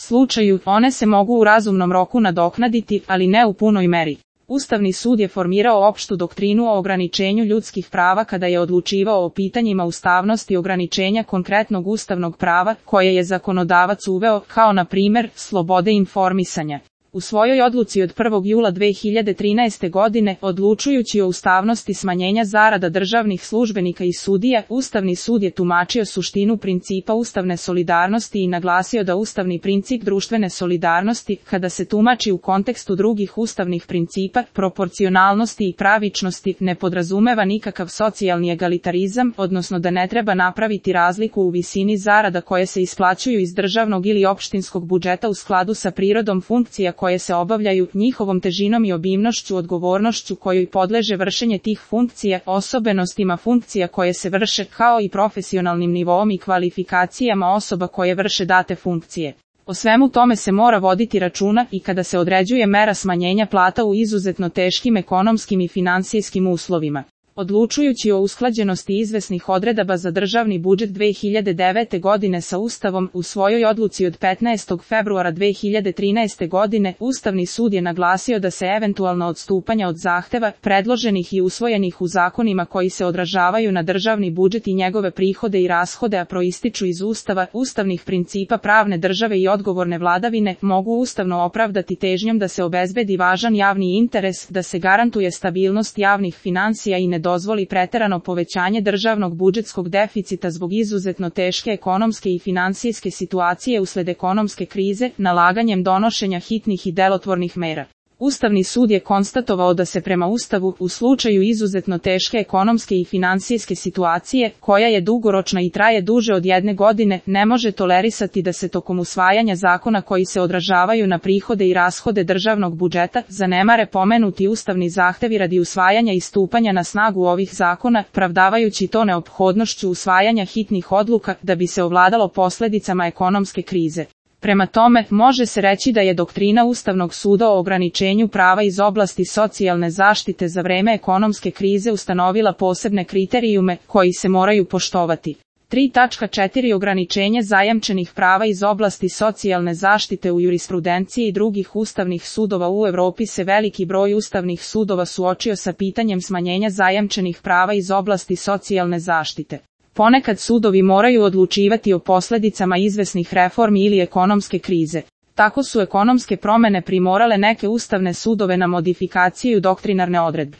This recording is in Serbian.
slučaju, one se mogu u razumnom roku nadoknaditi, ali ne u punoj meri. Ustavni sud je formirao opštu doktrinu o ograničenju ljudskih prava kada je odlučivao o pitanjima ustavnosti ograničenja konkretnog ustavnog prava koje je zakonodavac uveo, kao na primer, slobode informisanja. U svojoj odluci od 1. jula 2013. godine, odlučujući o ustavnosti smanjenja zarada državnih službenika i sudija, Ustavni sud je tumačio suštinu principa ustavne solidarnosti i naglasio da ustavni princip društvene solidarnosti, kada se tumači u kontekstu drugih ustavnih principa, proporcionalnosti i pravičnosti, ne podrazumeva nikakav socijalni egalitarizam, odnosno da ne treba napraviti razliku u visini zarada koje se isplaćuju iz državnog ili opštinskog budžeta u skladu sa prirodom funkcija koje se obavljaju, njihovom težinom i obimnošću, odgovornošću kojoj podleže vršenje tih funkcija, osobenostima funkcija koje se vrše, kao i profesionalnim nivoom i kvalifikacijama osoba koje vrše date funkcije. O svemu tome se mora voditi računa i kada se određuje mera smanjenja plata u izuzetno teškim ekonomskim i finansijskim uslovima. Odlučujući o usklađenosti izvesnih odredaba za državni budžet 2009. godine sa Ustavom, u svojoj odluci od 15. februara 2013. godine, Ustavni sud je naglasio da se eventualna odstupanja od zahteva, predloženih i usvojenih u zakonima koji se odražavaju na državni budžet i njegove prihode i rashode, a proističu iz Ustava, ustavnih principa pravne države i odgovorne vladavine, mogu ustavno opravdati težnjom da se obezbedi važan javni interes, da se garantuje stabilnost javnih finansija i ne dozvoli preterano povećanje državnog budžetskog deficita zbog izuzetno teške ekonomske i finansijske situacije usled ekonomske krize, nalaganjem donošenja hitnih i delotvornih mera. Ustavni sud je konstatovao da se prema Ustavu, u slučaju izuzetno teške ekonomske i finansijske situacije, koja je dugoročna i traje duže od 1 godine, ne može tolerisati da se tokom usvajanja zakona koji se odražavaju na prihode i rashode državnog budžeta, zanemare pomenuti ustavni zahtevi radi usvajanja i stupanja na snagu ovih zakona, pravdavajući to neophodnošću usvajanja hitnih odluka da bi se ovladalo posledicama ekonomske krize. Prema tome, može se reći da je doktrina Ustavnog suda o ograničenju prava iz oblasti socijalne zaštite za vreme ekonomske krize ustanovila posebne kriterijume koji se moraju poštovati. 3.4 Ograničenje zajamčenih prava iz oblasti socijalne zaštite u jurisprudenciji i drugih ustavnih sudova u Evropi se veliki broj ustavnih sudova suočio sa pitanjem smanjenja zajamčenih prava iz oblasti socijalne zaštite. Ponekad sudovi moraju odlučivati o posledicama izvesnih reformi ili ekonomske krize. Tako su ekonomske promene primorale neke ustavne sudove na modifikaciju doktrinarne odredbe.